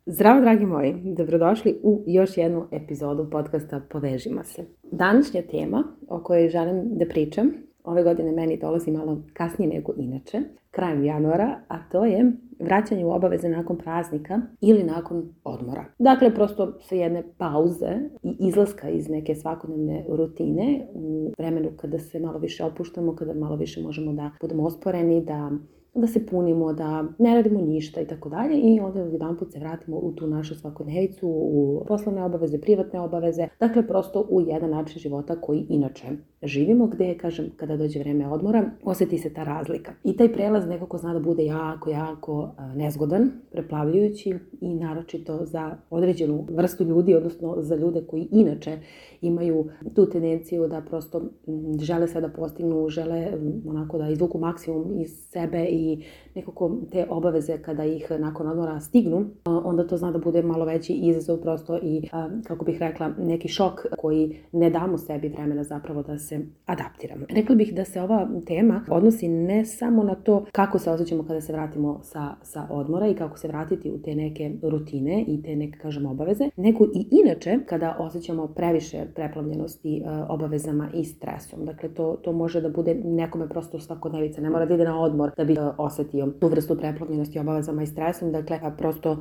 Zdravo dragi moji, dobrodošli u još jednu epizodu podcasta Povežimo se. Današnja tema o kojoj želim da pričam ove godine meni dolazi malo kasnije nego inače, krajem januara, a to je vraćanje u obaveze nakon praznika ili nakon odmora. Dakle, prosto sa jedne pauze i izlaska iz neke svakodnevne rutine u vremenu kada se malo više opuštamo, kada malo više možemo da budemo osporeni, da se punimo, da ne radimo ništa i tako dalje i onda jedanput se vratimo u tu našu svakodnevicu, u poslovne obaveze, privatne obaveze, dakle prosto u jedan način života koji inače živimo, gde, kažem, kada dođe vreme odmora, osjeti se ta razlika. I taj prelaz nekako zna da bude jako nezgodan, preplavljujući i naročito za određenu vrstu ljudi, odnosno za ljude koji inače imaju tu tendenciju da prosto žele sve da postignu, žele onako da izvuku maksimum iz sebe i nekako te obaveze kada ih nakon odmora stignu, onda to zna da bude malo veći izazov prosto i, kako bih rekla, neki šok koji ne damo sebi vremena zapravo da se adaptiramo. Rekla bih da se ova tema odnosi ne samo na to kako se osjećamo kada se vratimo sa odmora i kako se vratiti u te neke rutine i te neke, kažem, obaveze, nego i inače kada osjećamo previše preplavljenosti obavezama i stresom. Dakle, to može da bude nekome prosto svakodnevica, ne mora da ide na odmor da bi osjetio tu vrstu preplavljenosti obavezama i stresom. Dakle, prosto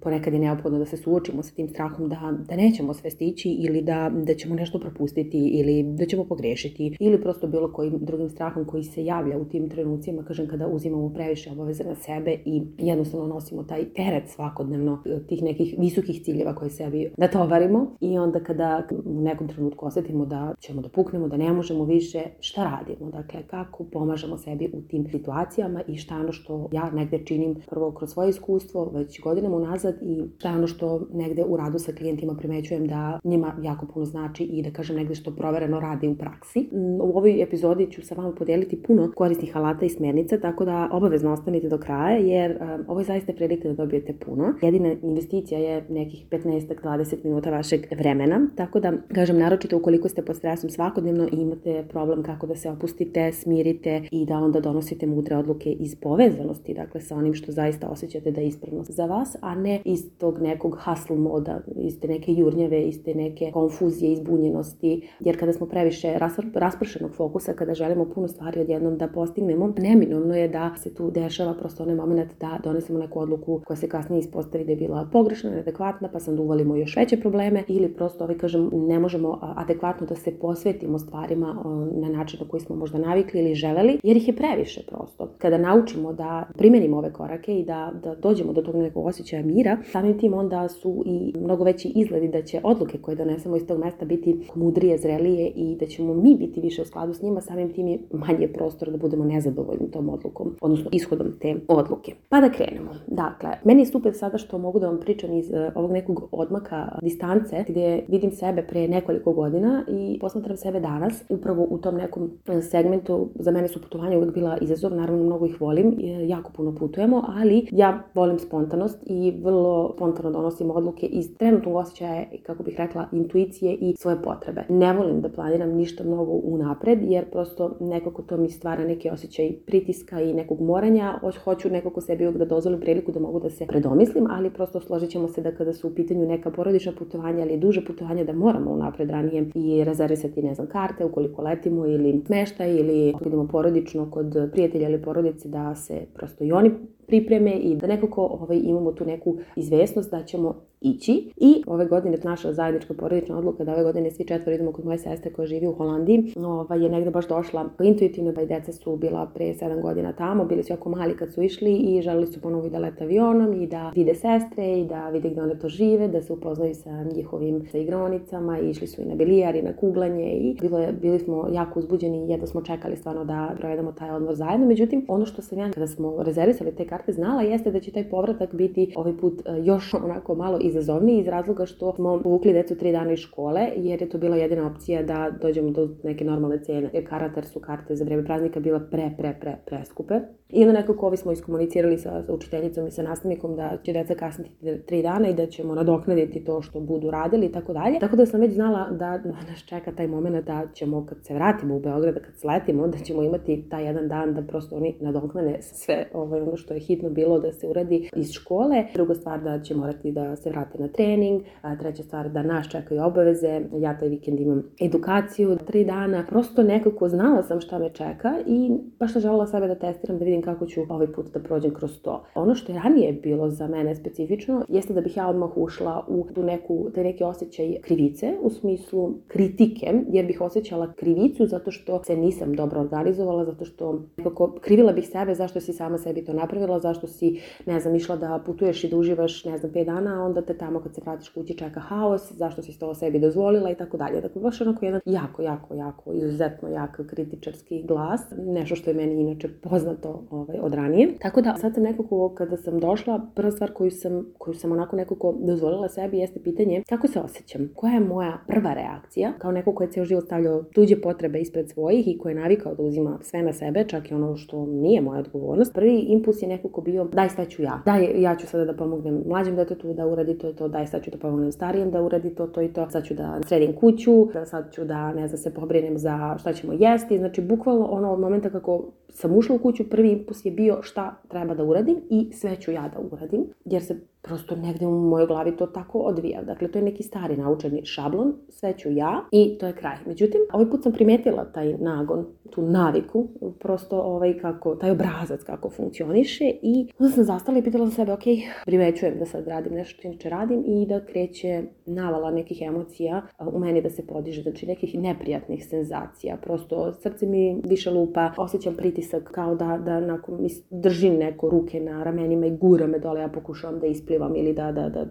ponekad je neophodno da se suočimo sa tim strahom da nećemo sve stići ili da ćemo nešto propustiti ili da ćemo pogrešiti ili prosto bilo kojim drugim strahom koji se javlja u tim trenucima, kažem, kada uzimamo previše obaveze na sebe i jednostavno nosimo taj teret svakodnevno tih nekih visokih ciljeva koje sebi natovarimo i onda kada u nekom trenutku osjetimo da ćemo da puknemo, da ne možemo više, šta radimo? Dakle, kako pomažemo sebi u tim situacijama i šta je ono što ja negde činim prvo kroz svoje iskustvo već godinama unazad i šta je ono što negde u radu sa klijentima primećujem da njima jako puno znači i da kažem negde što provereno radi u praksi. U ovoj epizodi ću sa vama podeliti puno korisnih alata i smjernica, tako da obavezno ostanite do kraja jer ovo je zaista prilika da dobijete puno. Jedina investicija je nekih 15-20 minuta vašeg vremena, tako da kažem naročito ukoliko ste pod stresom svakodnevno i imate problem kako da se opustite, smirite i da onda donosite mudre odluke iz povezanosti, dakle sa onim što zaista osjećate da je ispravno za vas, a ne iz tog nekog hustle moda, iz te neke jurnjave, iz te neke konfuzije, izbunjenosti, jer kada smo previše raspršenog fokusa, kada želimo puno stvari odjednom da postignemo, neminovno je da se tu dešava prosto onaj moment da donesemo neku odluku koja se kasnije ispostavi da je bila pogrešna, neadekvatna, pa sam uvalimo još veće probleme ili prosto kažem ne možemo adekvatno da se posvetimo stvarima na način na koji smo možda navikli ili želeli, jer ih je previše prosto. Kada naučimo da primenimo ove korake i da dođemo do tog nekog osjećaja mira, samim tim onda su i mnogo veći izgledi da će odluke koje donesemo iz tog mesta biti mudrije, zrelije i da ćemo mi biti više u skladu s njima, samim tim je manje prostor da budemo nezadovoljni tom odlukom, odnosno ishodom te odluke. Pa da krenemo. Dakle, meni je super sada što mogu da vam pričam iz ovog nekog odmaka distance gdje vidim sebe pre nekoliko godina i posmatram sebe danas. Upravo u tom nekom segmentu za mene su putovanja uvijek bila izazov, naravno mnogo ih volim, jako puno putujemo, ali ja volim spontanost i vrlo spontano donosim odluke iz trenutnog osjećaja, kako bih rekla, intuicije i svoje potrebe. Ne volim da planiram ništa mnogo unapred, jer prosto nekako to mi stvara neki osjećaj pritiska i nekog moranja. Hoću nekako sebi uvijek da dozvolim priliku da mogu da se predomislim, ali prosto složit ćemo se da kada su u pitanju neka porodična putovanja ili duže putovanja da moramo unapred ranije i rezervisati, ne znam, karte ukoliko letimo ili smeštaj ili idemo porodično kod prijatelja ili porodice da se prosto i oni pripreme i da nekako imamo tu neku izvesnost da ćemo ići. I ove godine naša zajednička porodična odluka da ove godine svi četvoro idemo kod moje sestre koja živi u Holandiji je negde baš došla intuitivno, pa i deca su bila pre 7 godina tamo, bili su jako mali kad su išli i želeli su ponovo i da lete avionom i da vide sestre i da vide gde one to žive, da se upoznaju sa njihovim igraonicama i išli su i na bilijar i na kuglanje i bili smo jako uzbuđeni i jedno smo čekali stvarno da provedemo taj odmor zajedno. Međutim, ono što sam ja kada smo rezervisali te karte znala jeste da će taj povratak biti ovaj put još onako malo izazovniji iz razloga što smo povukli decu 3 dana iz škole jer je to bila jedina opcija da dođemo do neke normalne cene. Jer su karte za vreme praznika bila preskupe. I onda nekako smo iskomunicirali sa učiteljicom i sa nastavnikom da će deca kasniti 3 dana i da ćemo nadoknaditi to što budu radili i tako dalje. Tako da sam već znala da nas čeka taj moment da ćemo kad se vratimo u Beograd, kad sletimo, da ćemo imati taj jedan dan da prosto oni nadoknade sve ono što je hitno bilo da se uradi iz škole, druga stvar da će morati da se vrate na trening, treća stvar da nas čekaju obaveze, ja taj vikend imam edukaciju 3 dana, prosto nekako znala sam šta me čeka i baš sam želela sebe da testiram, da vidim kako ću ovaj put da prođem kroz to. Ono što je ranije bilo za mene specifično jeste da bih ja odmah ušla u taj neki osjećaj krivice, u smislu kritike, jer bih osjećala krivicu zato što se nisam dobro organizovala, zato što nekako krivila bih sebe zašto si sama sebi to napravila, zašto si, išla da putuješ i da uživaš, 5 dana, a onda te tamo kad se vratiš kući čeka haos, zašto si to sebi dozvolila i tako dalje. Dakle, baš onako jedan jako, izuzetno jak kritičarski glas, nešto što je meni inače poznato od ranije. Tako da sad sam nekako, kada sam došla, prva stvar koju sam onako nekako dozvolila sebi jeste pitanje kako se osjećam, koja je moja prva reakcija, kao neko ko je ceo život stavljao tuđe potrebe ispred svojih i ko je navikao da uzima sve na sebe, čak i ono što nije moja odgovornost. Prvi impuls je nekako bio, daj sve ću ja. Daj, ja ću sada da pomognem mlađem detetu da uradi to i to, daj sad ću da pomognem starijem da uradi to i to, sad ću da sredim kuću, sad ću da se pobrinem za šta ćemo jesti. Znači, bukvalno od momenta kako sam ušla u kuću, prvi impuls je bio šta treba da uradim i sve ću ja da uradim, jer se prosto negde u mojoj glavi to tako odvija. Dakle, to je neki stari naučeni šablon, sve ću ja i to je kraj. Međutim, ovaj put sam primetila taj nagon, tu naviku, prosto taj obrazac kako funkcioniše i onda sam zastala i pitala sam sebe, primećujem da sad radim nešto što inače radim i da kreće navala nekih emocija u meni da se podiže, znači nekih neprijatnih senzacija. Prosto srce mi više lupa, osjećam pritisak kao da nakon mi držim neko ruke na ramenima i gura me dole, ja pokušavam da isplivam ili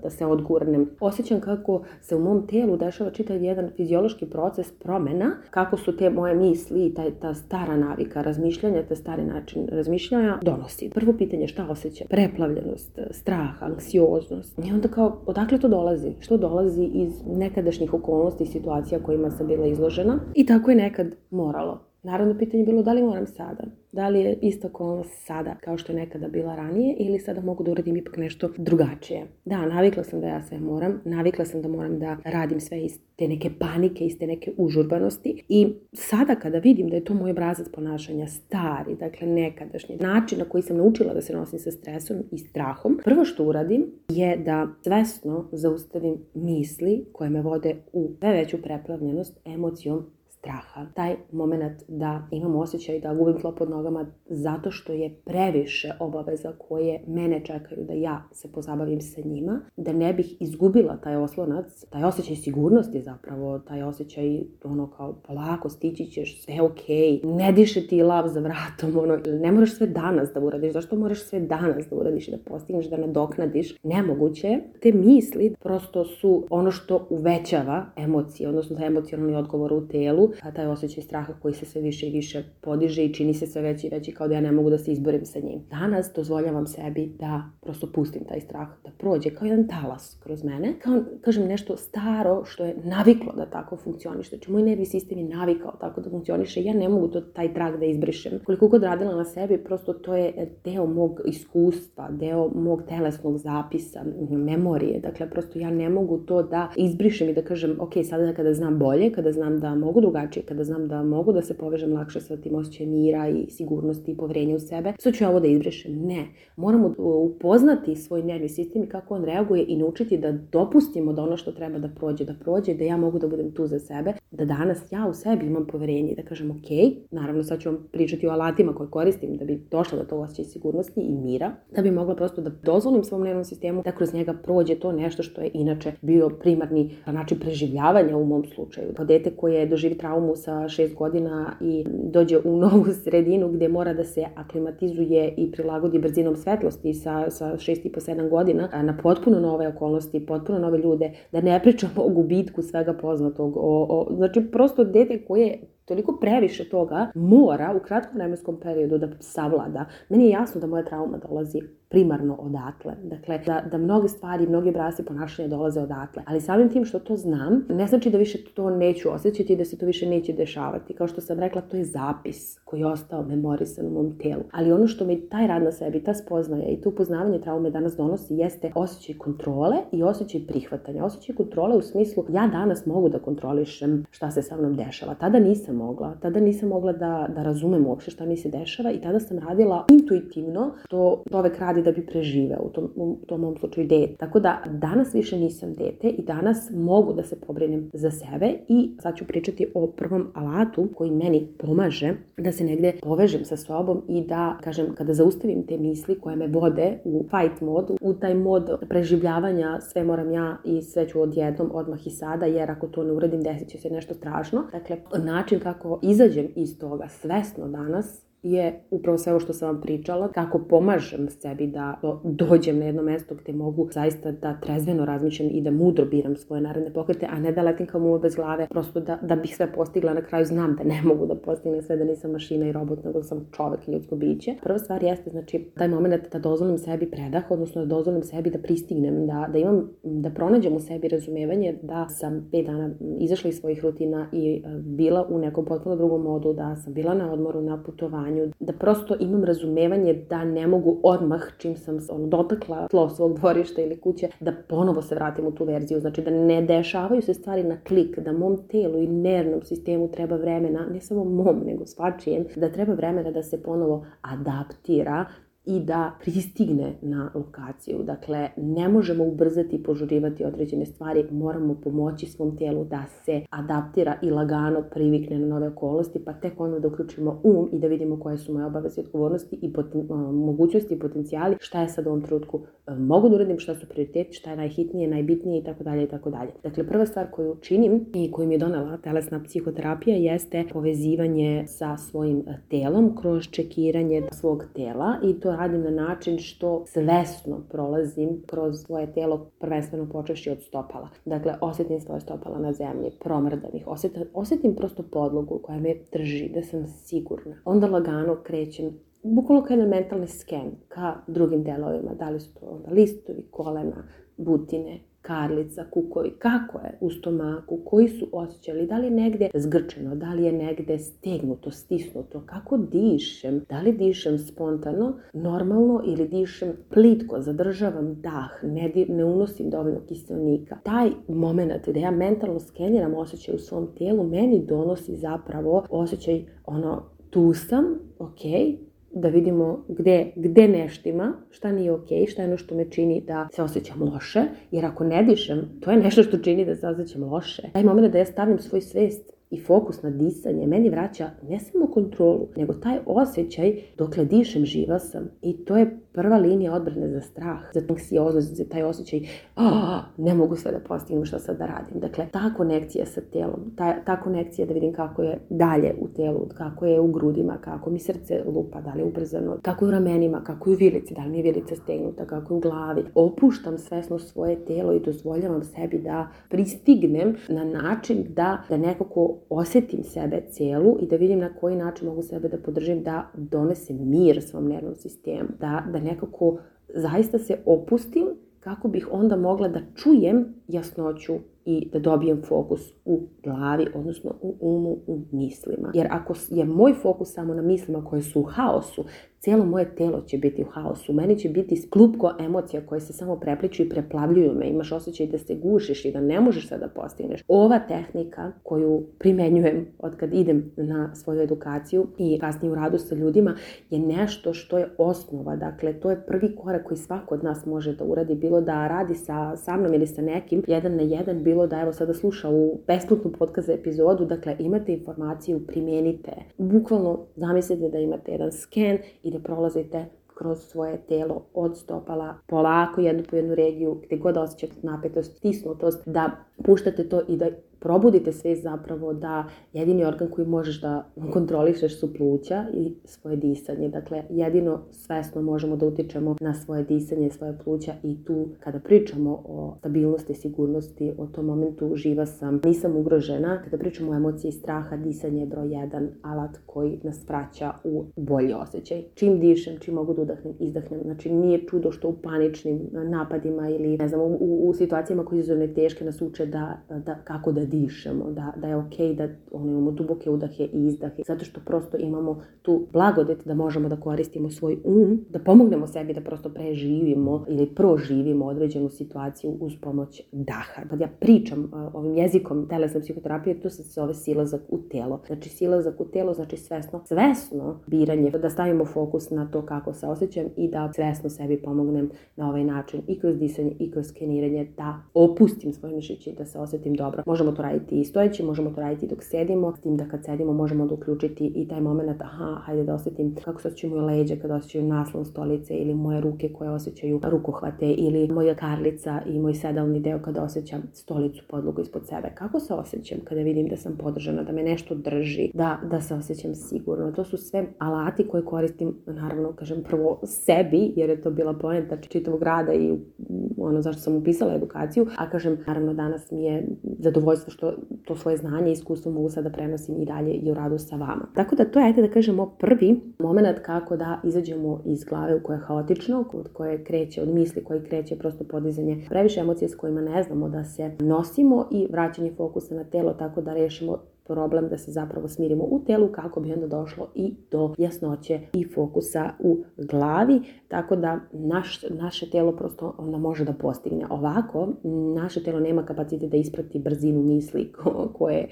da se odgurnem. Osjećam kako se u mom telu dešava čitav jedan fiziološki proces promena, kako su te moje misli i ta stara navika razmišljanja, taj stari način razmišljanja donosi. Prvo pitanje, šta osjećam? Preplavljenost, strah, anksioznost. I onda kao, odakle to dolazi? Što dolazi iz nekadašnjih okolnosti i situacija kojima sam bila izložena? I tako je nekad moralo. Naravno, pitanje je bilo da li moram sada? Da li je ista okolnost sada kao što je nekada bila ranije ili sada mogu da uradim ipak nešto drugačije? Da, navikla sam da ja sve moram, navikla sam da moram da radim sve iz te neke panike, iz te neke užurbanosti i sada kada vidim da je to moj obrazac ponašanja stari, dakle nekadašnji način na koji sam naučila da se nosim sa stresom i strahom, prvo što uradim je da svesno zaustavim misli koje me vode u sve veću preplavljenost emocijom straha. Taj moment da imam osjećaj da gubim tlo pod nogama zato što je previše obaveza koje mene čekaju da ja se pozabavim sa njima, da ne bih izgubila taj oslonac, taj osjećaj sigurnosti zapravo, taj osjećaj kao polako stići ćeš, sve okej, ne diše ti lav za vratom, ne moraš sve danas da uradiš, zašto moraš sve danas da uradiš i da postigneš, da nadoknadiš, nemoguće. Te misli prosto su ono što uvećava emocije, odnosno taj emocionalni odgovor u telu, a taj osjećaj straha koji se sve više i više podiže i čini se sve veći i veći kao da ja ne mogu da se izborim sa njim. Danas dozvoljavam sebi da prosto pustim taj strah, da prođe kao jedan talas kroz mene, kao, kažem, nešto staro što je naviklo da tako funkcioniše. Znači, moj nervni sistem je navikao tako da funkcioniše, ja ne mogu taj trag da izbrišem. Koliko god radila na sebi, prosto to je deo mog iskustva, deo mog telesnog zapisa, memorije. Dakle, prosto ja ne mogu to da izbrišem i da kažem, sada kada znam bolje, kada znam da mogu drugačije, kada znam da mogu da se povežem lakše sa tim osjećajem mira i sigurnosti i poverenja u sebe, sad ću ja ovo da izbrišem. Ne. Moramo upoznati svoj nervni sistem i kako on reaguje i naučiti da dopustimo da ono što treba da prođe, da ja mogu da budem tu za sebe, da danas ja u sebi imam poverenje i da kažem naravno sad ću vam pričati o alatima koje koristim da bi došla do tog osjećaja sigurnosti i mira, da bi mogla prosto da dozvolim svom nervnom sistemu da kroz njega prođe to nešto što je inače bio primarni način preživljavanja u mom slučaju. To dete koje doživi traumu sa 6 godina i dođe u novu sredinu gdje mora da se aklimatizuje i prilagodi brzinom svetlosti sa 6,5-7 godina na potpuno nove okolnosti, potpuno nove ljude, da ne pričamo o gubitku svega poznatog, znači prosto dete koje toliko previše toga mora u kratkom vremenskom periodu da savlada. Meni je jasno da moja trauma dolazi primarno odatle. Dakle, da mnoge stvari, mnogi obrasci ponašanja dolaze odatle. Ali samim tim što to znam, ne znači da više to neću osjećati i da se to više neće dešavati. Kao što sam rekla, to je zapis koji je ostao memorisan u mom telu. Ali ono što mi taj rad na sebi, ta spoznaja i to upoznavanje traume danas donosi jeste osjećaj kontrole i osjećaj prihvatanja. Osjećaj kontrole u smislu ja danas mogu da kontrolišem šta se sa mnom dešava. Tada nisam mogla. Tada nisam mogla da razumem uopšte šta mi se dešava i tada sam radila intuitivno što čovek radi da bi preživeo, u tom mom slučaju dete. Tako da danas više nisam dete i danas mogu da se pobrinem za sebe i sad ću pričati o prvom alatu koji meni pomaže da se negde povežem sa sobom i da, kažem, kada zaustavim te misli koje me vode u fight mod, u taj mod preživljavanja, sve moram ja i sve ću odjednom, odmah i sada, jer ako to ne uradim desit će se nešto strašno. Dakle, način kako izađem iz toga svesno danas je upravo sve ovo što sam vam pričala, kako pomažem sebi da dođem na jedno mesto gde mogu zaista da trezveno razmišljam i da mudro biram svoje naredne pokrete, a ne da letim kao muva bez glave, prosto da bih sve postigla. Na kraju znam da ne mogu da postignem sve, da nisam mašina i robot, nego sam čovek i ljudsko biće. Prva stvar jeste, znači, taj moment da dozvolim sebi predah, odnosno da dozvolim sebi da pristignem, da pronađem u sebi razumevanje da sam 5 dana izašla iz svojih rutina i bila u nekom potpuno drugom modu, da sam bila na odmoru, na putovanju, da prosto imam razumevanje da ne mogu odmah, čim sam dotakla tlo svog dvorišta ili kuće, da ponovo se vratim u tu verziju. Znači da ne dešavaju se stvari na klik, da mom telu i nervnom sistemu treba vremena, ne samo mom, nego svačijem, da treba vremena da se ponovo adaptira i da pristigne na lokaciju. Dakle, ne možemo ubrzati i požurivati određene stvari, moramo pomoći svom tijelu da se adaptira i lagano privikne na nove okolnosti, pa tek onda da uključimo i da vidimo koje su moje obaveze i odgovornosti i mogućnosti i potencijali, šta je sad u ovom trenutku mogu da uradim, šta su prioriteti, šta je najhitnije, najbitnije itd. Dakle, prva stvar koju činim i koju mi je donela telesna psihoterapija jeste povezivanje sa svojim telom kroz čekiranje svog tela i to radim na način što svesno prolazim kroz svoje telo, prvenstveno počevši od stopala. Dakle, osjetim svoje stopala na zemlji, promrdam ih, osjetim prosto podlogu koja me drži, da sam sigurna. Onda lagano krećem, bukvalno kao jedan mentalni sken ka drugim delovima, da li su to onda listovi, kolena, butine, karlica, kukovi, kako je u stomaku, koji su osjećali, da li je negde zgrčeno, da li je negde stegnuto, stisnuto, kako dišem, da li dišem spontano, normalno ili dišem plitko, zadržavam dah, ne unosim dovoljno kiselnika. Taj moment gde ja mentalno skeniram osjećaj u svom tijelu, meni donosi zapravo osjećaj tu sam, okej, da vidimo gde neštima, šta nije okej, šta je ono što me čini da se osjećam loše, jer ako ne dišem, to je nešto što čini da se osjećam loše. Taj moment da ja stavim svoj svest i fokus na disanje meni vraća ne samo kontrolu, nego taj osjećaj dokle dišem živa sam i to je prva linija odbrane za strah, za anksioznost, za taj osjećaj ne mogu sve da postignem, šta sad da radim. Dakle, ta konekcija sa telom, ta konekcija da vidim kako je dalje u telu, kako je u grudima, kako mi srce lupa, da li je ubrzano, kako je u ramenima, kako je u vilici, da li mi je vilica stegnuta, kako je u glavi. Opuštam svesno svoje telo i dozvoljavam sebi da pristignem na način da nekako osjetim sebe celu i da vidim na koji način mogu sebe da podržim, da donesem mir svom nervnom sistemu, da nekako zaista se opustim kako bih onda mogla da čujem jasnoću i da dobijem fokus u glavi, odnosno u umu, u mislima. Jer ako je moj fokus samo na mislima koje su u haosu, cijelo moje telo će biti u haosu. Meni će biti klupko emocija koje se samo prepliču i preplavljuju me. Imaš osjećaj da se gušiš i da ne možeš sve da postigneš. Ova tehnika koju primenjujem od kad idem na svoju edukaciju i kasnije u radu sa ljudima je nešto što je osnova. Dakle, to je prvi korak koji svako od nas može da uradi. Bilo da radi sa mnom ili sa nekim, 1 na 1, bilo da evo sada sluša u besplatnu podcast epizodu. Dakle, imate informaciju, primenite. Bukvalno zamislite da imate jedan sken i da prolazite kroz svoje telo od stopala polako jednu po jednu regiju gdje god osjećate napetost, stisnutost, da puštate to i da probudite svest zapravo da jedini organ koji možeš da kontrolišeš su pluća i svoje disanje. Dakle, jedino svesno možemo da utičemo na svoje disanje, svoje pluća i tu kada pričamo o stabilnosti, sigurnosti, o tom momentu živa sam, nisam ugrožena. Kada pričamo o emociji straha, disanje je broj 1 alat koji nas vraća u bolji osjećaj. Čim dišem, čim mogu da udahnem, izdahnem. Znači, nije čudo što u paničnim napadima ili ne znam, u situacijama koje su teške nas uče kako da dišemo, da je okej da imamo duboke udahe i izdahe, zato što prosto imamo tu blagodet da možemo da koristimo svoj da pomognemo sebi da prosto preživimo ili proživimo određenu situaciju uz pomoć daha. Kad ja pričam ovim jezikom telesne psihoterapije, to se zove silazak u telo. Znači silazak u telo znači svesno biranje, da stavimo fokus na to kako se osjećam i da svesno sebi pomognem na ovaj način i kroz disanje i kroz skeniranje da opustim svoje mišiće i da se osjetim dobro. Možemo to raditi i stojeći, možemo to raditi dok sedimo, s tim da kad sedimo možemo da uključiti i taj moment, hajde da osjetim kako se osjećaju moje leđe kad osjećaju naslon stolice ili moje ruke koje osjećaju rukohvate ili moja karlica i moj sedalni deo kada osjećam stolicu, podlogu ispod sebe. Kako se osjećam kada vidim da sam podržana, da me nešto drži, da se osjećam sigurno. To su sve alati koje koristim, naravno, kažem prvo sebi, jer je to bila poenta čitavog rada i ono zašto sam upisala edukaciju, a kažem, naravno danas mi je zadovoljstvo što to svoje znanje i iskustvo mogu sada prenosim i dalje i u radu sa vama. Tako da to je, ajde da kažemo, prvi moment kako da izađemo iz glave u koje je haotično, od koje kreće, od misli koji kreće prosto podizanje previše emocije s kojima ne znamo da se nosimo i vraćanje fokusa na telo tako da rešimo problem da se zapravo smirimo u telu kako bi onda došlo i do jasnoće i fokusa u glavi, tako da naše telo prosto onda može da postigne. Ovako, naše telo nema kapacitet da isprati brzinu misli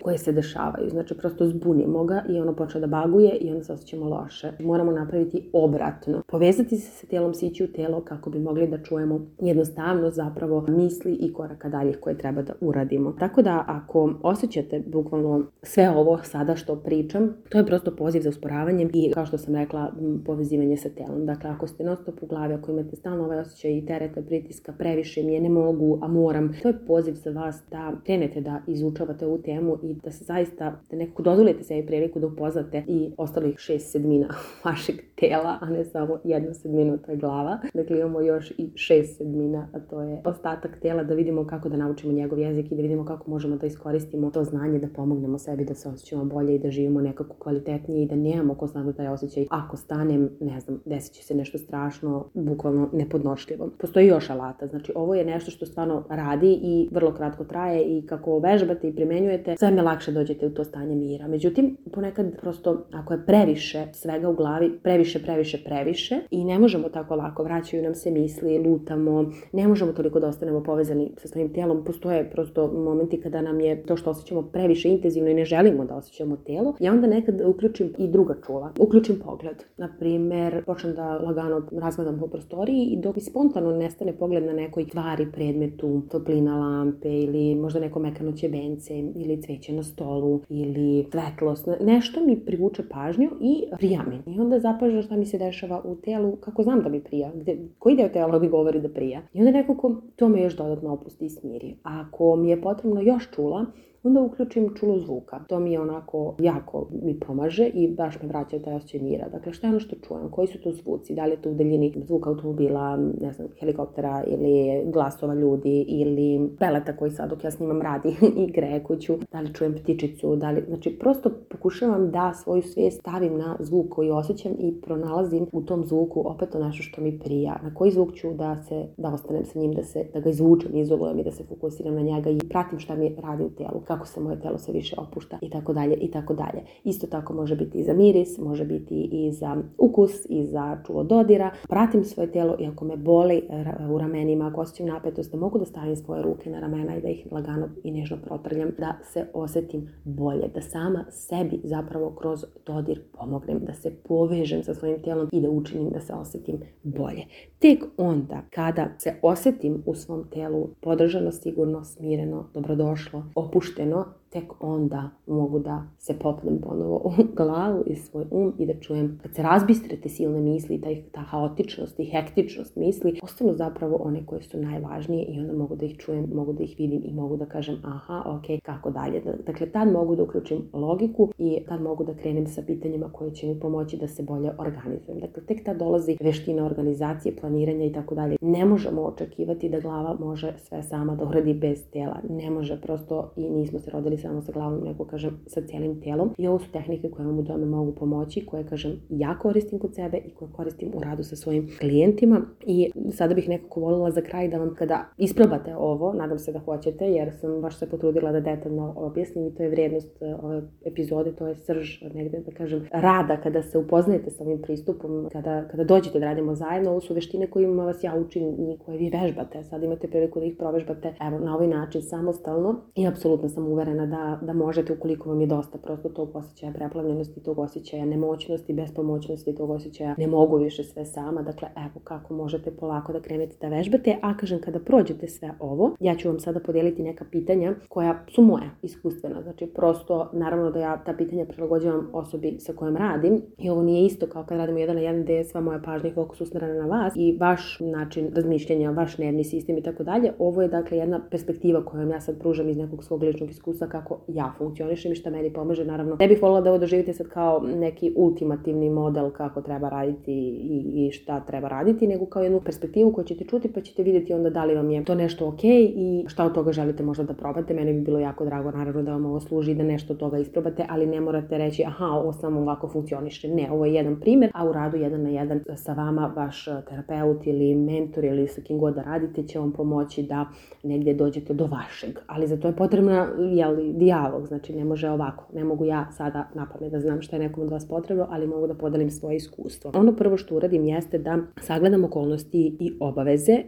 koje se dešavaju. Znači, prosto zbunimo ga i ono počne da baguje i onda se osjećamo loše. Moramo napraviti obratno. Povezati se sa telom, sići u telo kako bi mogli da čujemo jednostavno zapravo misli i koraka daljih koje treba da uradimo. Tako da, ako osjećate bukvalno sve ovo sada što pričam, to je prosto poziv za usporavanjem i, kao što sam rekla, povezivanje sa telom. Dakle, ako ste non stop u glavi, ako imate stalno ovaj osjećaj i tereta, pritiska, previše mi je, ne mogu, a moram, to je poziv za vas da krenete da izučavate ovu temu i da se zaista, da nekako dozvolite sebi priliku da upoznate i ostalih 6 sedmina vašeg tela, a ne samo 1 sedminu, to je glava. Dakle, imamo još i 6 sedmina, a to je ostatak tela, da vidimo kako da naučimo njegov jezik i da vidimo kako možemo da iskoristimo to znanje, da pomognemo sebi da se osjećamo bolje i da živimo nekako kvalitetnije i da nemamo konstantno taj osjećaj ako stanem, ne znam, desit će se nešto strašno, bukvalno nepodnošljivo. Postoji još alata, znači ovo je nešto što stvarno radi i vrlo kratko traje i kako vežbate i primenjujete, sve me lakše dođete u to stanje mira. Međutim, ponekad prosto ako je previše svega u glavi, previše i ne možemo tako lako, vraćaju nam se misli, lutamo, ne možemo toliko da ostanemo povezani sa svojim telom, postoje prosto momenti kada nam je to što osjećamo previše intenzivno i ne želimo da osjećamo telo. Ja onda nekad uključim i druga čula. Uključim pogled. Naprimjer, počnem da lagano razgledam po prostoriji i dok mi spontano nestane pogled na nekoj tvari, predmetu, toplina lampe ili možda neko mekano ćebence ili cveće na stolu ili svetlost. Nešto mi privuče pažnju i prija mi. I onda zapažam šta mi se dešava u telu, kako znam da mi prija, koji deo tela mi govori da prija. I onda nekako to me još dodatno opusti i smiri. A ako mi je potrebno još čula, onda uključim čulo zvuka. To mi je onako jako mi pomaže i baš me vraća taj osjećaj mira. Dakle, šta je ono što čujem? Koji su to zvuci? Da li je to u daljini zvuk automobila, ne znam, helikoptera ili glasova ljudi ili peleta koji sad dok ja snimam radi i greje kuću? Da li čujem ptičicu? Znači, prosto pokušavam da svoju svijest stavim na zvuk koji osjećam i pronalazim u tom zvuku opet to nešto što mi prija. Na koji zvuk ću da ostanem sa njim, da ga izvučem, izolujem i da se fokusiram na njega i pratim šta mi radi u telu, kako se moje telo sve više opušta i tako dalje i tako dalje. Isto tako može biti i za miris, može biti i za ukus i za čulo dodira. Pratim svoje telo i ako me boli u ramenima, ako osjećam napetost, da mogu da stavim svoje ruke na ramena i da ih lagano i nežno protrljam, da se osjetim bolje, da sama sebi zapravo kroz dodir pomognem, da se povežem sa svojim telom i da učinim da se osjetim bolje. Tek onda kada se osjetim u svom telu podržano, sigurno, smireno, dobrodošlo, opušteno, tek onda mogu da se popnem ponovo u glavu i svoj i da čujem, kad se razbistre te silne misli, ta haotičnost i hektičnost misli, ostanu zapravo one koje su najvažnije i onda mogu da ih čujem, mogu da ih vidim i mogu da kažem ok, kako dalje. Dakle, tad mogu da uključim logiku i tad mogu da krenem sa pitanjima koje će mi pomoći da se bolje organizujem. Dakle, tek tad dolazi veština organizacije, planiranja i tako dalje. Ne možemo očekivati da glava može sve sama da uradi bez tela. Ne može, prosto i nismo se rodili samo sa glavom, nego kažem sa cijelim telom. I ovo su tehnike koje vam u tome mogu pomoći, koje kažem ja koristim kod sebe i koje koristim u radu sa svojim klijentima. I sada bih nekako voljela za kraj da vam kada isprobate ovo, nadam se da hoćete, jer sam baš se potrudila da detaljno objasnim i to je vrijednost ove epizode, to je srž negde da kažem rada kada se upoznajete sa ovim pristupom, kada dođete da radimo zajedno. Ovo su veštine kojima vas ja učim i koje vi vežbate. Sad imate priliku da ih provežbate evo na ovaj način samostalno i apsolutno sam uverena da možete ukoliko vam je dosta prosto tog osjećaja preplavljenosti, tog osjećaja nemoćnosti, bespomoćnosti, tog osjećaja ne mogu više sve sama. Dakle, evo kako možete polako da krenete da vežbate, a kažem kada prođete sve ovo, ja ću vam sada podijeliti neka pitanja koja su moja iskustvena. Znači prosto naravno da ja ta pitanja prilagođavam osobi sa kojom radim i ovo nije isto kao kad radimo 1 na 1 gdje je sva moja pažnja i fokus usmjerena na vas i vaš način razmišljanja, vaš nervni sistem i tako dalje. Ovo je dakle jedna perspektiva koju ja sad pružam iz nekog svog ličnog iskustva kako ja funkcionišem i šta meni pomaže. Naravno, ne bih voljela da ovo doživite sad kao neki ultimativni model kako treba raditi i šta treba raditi, nego kao jednu perspektivu koju ćete čuti pa ćete vidjeti onda da li vam je to nešto ok i šta od toga želite možda da probate. Meni bi bilo jako drago naravno da vam ovo služi i da nešto od toga isprobate, ali ne morate reći aha, ovo samo ovako funkcioniše. Ne, ovo je jedan primjer, a u radu 1 na 1 sa vama vaš terapeut ili mentor ili sa kim god da radite će vam pomoći da negdje dođete do vašeg. Ali za to je potrebna dijalog, znači ne može ovako. Ne mogu ja sada napamet da znam šta je nekom od vas potrebno, ali mogu da podelim svoje iskustvo. Ono prvo što uradim jeste da sagledam okolnosti i obaveze,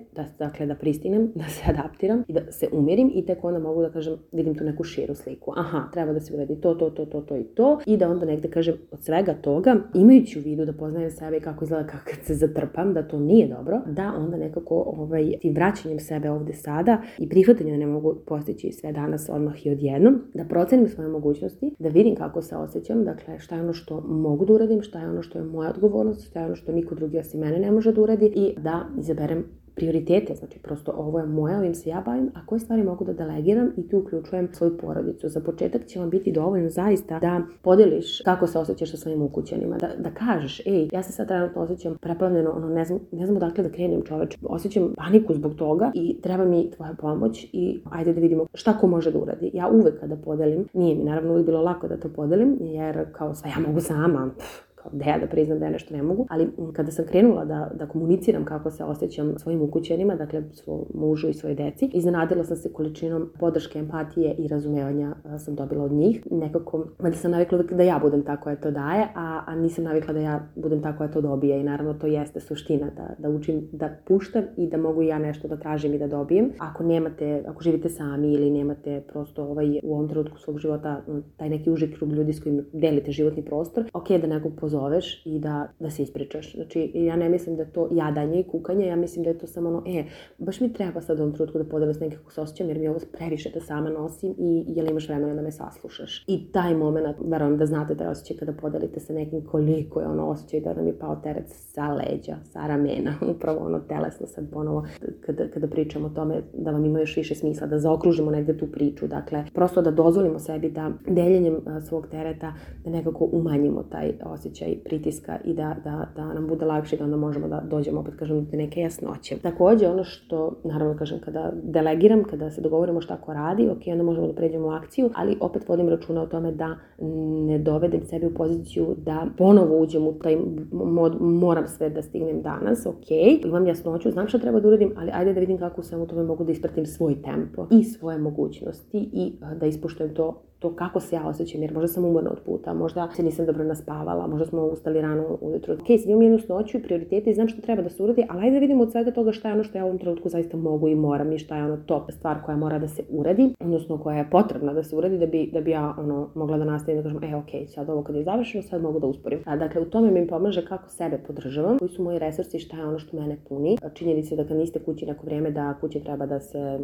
da pristignem, da se adaptiram i da se umirim i tek onda mogu da kažem vidim tu neku širu sliku. Aha, treba da se uradi to i to i da onda negdje kažem od svega toga, imajući u vidu da poznajem sebe i kako izgleda kad se zatrpam, da to nije dobro, da onda nekako tim vraćanjem sebe ovdje sada i prihvatanjem da ne mogu postići sve danas odmah i odjednom, da procenim svoje mogućnosti, da vidim kako se osjećam, dakle šta je ono što mogu da uradim, šta je ono što je moja odgovornost, šta je ono što niko drugi osim mene ne može da uradi i da izaberem prioritete, znači prosto ovo je moje, ovim se ja bavim, a koje stvari mogu da delegiram i tu uključujem svoju porodicu. Za početak će vam biti dovoljno zaista da podeliš kako se osjećaš sa svojim ukućanima, da kažeš, ja se sad trenutno osjećam preplavljeno, ne znam odakle da krenem čoveče, osjećam paniku zbog toga i treba mi tvoja pomoć i ajde da vidimo šta ko može da uradi. Ja uvek kada podelim, nije mi naravno uvijek bilo lako da to podelim, jer kao sve ja mogu sama, da priznam da ja nešto ne mogu, ali kada sam krenula da komuniciram kako se osjećam svojim ukućenima, dakle svom mužu i svojoj deci, iznenadila sam se količinom podrške, empatije i razumevanja sam dobila od njih. Nekako, valjda sam navikla da ja budem ta koja to daje, a nisam navikla da ja budem ta koja to dobije i naravno to jeste suština, da učim da puštam i da mogu ja nešto da tražim i da dobijem. Ako živite sami ili nemate prosto u ovom trenutku svog života taj neki uži krug ljudi s kojim delite životni prostor, ok da nekog pozoveš i da se ispričaš. Znači, ja ne mislim da je to jadanje i kukanje, ja mislim da je to samo baš mi treba sad u ovom trenutku da podelim s nekako se osjećam, jer mi ovo previše da sama nosim i jel imaš vremena da me saslušaš. I taj moment, verujem da znate da osjećaj kada podelite sa nekim koliko je osjećaj da nam je pao teret sa leđa, sa ramena, upravo telesno sad ponovo, kada pričamo o tome da vam ima još više smisla, da zaokružimo negde tu priču, dakle, prosto da dozvolimo sebi da deljenjem svog tereta da nekako umanjimo taj osjećaj pritiska i da nam bude lakše da onda možemo da dođemo, opet kažem, do neke jasnoće. Također, ono što, naravno kažem, kada delegiram, kada se dogovorimo šta ko radi, ok, onda možemo da pređemo u akciju, ali opet vodim računa o tome da ne dovedem sebe u poziciju da ponovo uđem u taj mod, moram sve da stignem danas, ok, imam jasnoću, znam šta treba da uradim, ali ajde da vidim kako u svemu tome mogu da ispratim svoj tempo i svoje mogućnosti i da ispoštujem to kako se ja osjećam, jer možda sam umorna od puta, možda se nisam dobro naspavala, možda smo ustali rano ujutro. Ok, sad imam jednu snoću i prioritete i znam što treba da se uradi, ali ajde da vidimo od svega toga šta je ono što ja u ovom trenutku zaista mogu i moram i šta je ono top stvar koja mora da se uradi, odnosno koja je potrebna da se uradi da bi ja mogla da nastavim da kažem, ok, sad ovo kad je završeno, sad mogu da usporim. Dakle, u tome mi pomaže kako sebe podržavam, koji su moji resursi, šta je ono što mene puni. Činjenica da kad niste kući neko vrijeme da kuća treba da se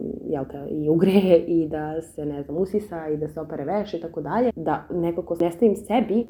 i ugreje i da se, usisa i da se opere veš i tako dalje, da nekako ne stavim sebi,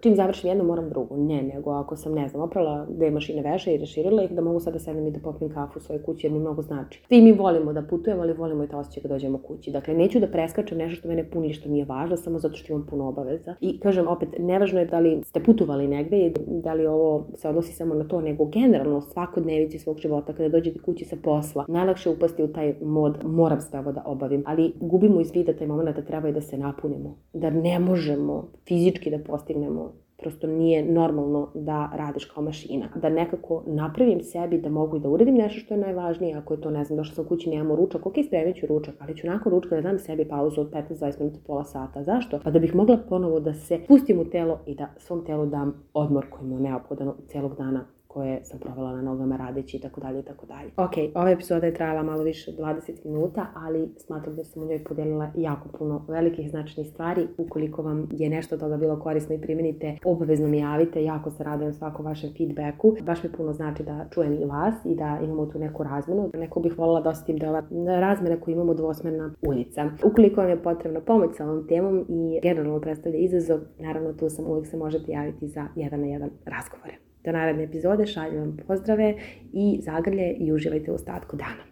čim završim jedno moram drugo. Ne, nego ako sam, oprala 2 mašine veša i raširila ih, da mogu sad da sedem i da popijem kafu u svojoj kući, jer mi mnogo znači. Svi mi volimo da putujemo, ali volimo i to osjećaj kad dođemo kući. Dakle, neću da preskačem nešto što mene puni, što mi je važno, samo zato što imam puno obaveza. I kažem opet, nevažno je da li ste putovali negde i da li ovo se odnosi samo na to, nego generalno svakodnevici svog života, kada dođete kući sa posla, najlakše upasti u taj mod, moram sve ovo da obavim, ali gubimo iz vida taj moment da treba i da se napunimo, da ne možemo fizički da postignemo, prosto nije normalno da radiš kao mašina. Da nekako napravim sebi da mogu i da uradim nešto što je najvažnije, ako je to, ne znam, došla sam kući, nemamo ručak, ok, spremit ću ručak, ali ću nakon ručka da dam sebi pauzu od 15-20 minuta, pola sata. Zašto? Pa da bih mogla ponovo da se pustim u telo i da svom telu dam odmor koji mu je neophodan celog dana koje sam provela na nogama radeći i tako dalje i tako dalje. Ok, ova epizoda je trajala malo više od 20 minuta, ali smatram da sam u njoj podelila jako puno velikih značajnih stvari. Ukoliko vam je nešto od toga bilo korisno i primenite, obavezno mi javite, jako se radujem svakom vašem feedbacku. Baš mi puno znači da čujem i vas i da imamo tu neku razmenu. Neko bih voljela da osetim da je ova razmena koju imamo dvosmerna ulica. Ukoliko vam je potrebna pomoć sa ovom temom i generalno predstavlja izazov, naravno tu sam, uvijek se možete javiti za 1-na-1 razgovore. Do naredne epizode, šaljem vam pozdrave i zagrlje i uživajte u ostatku dana.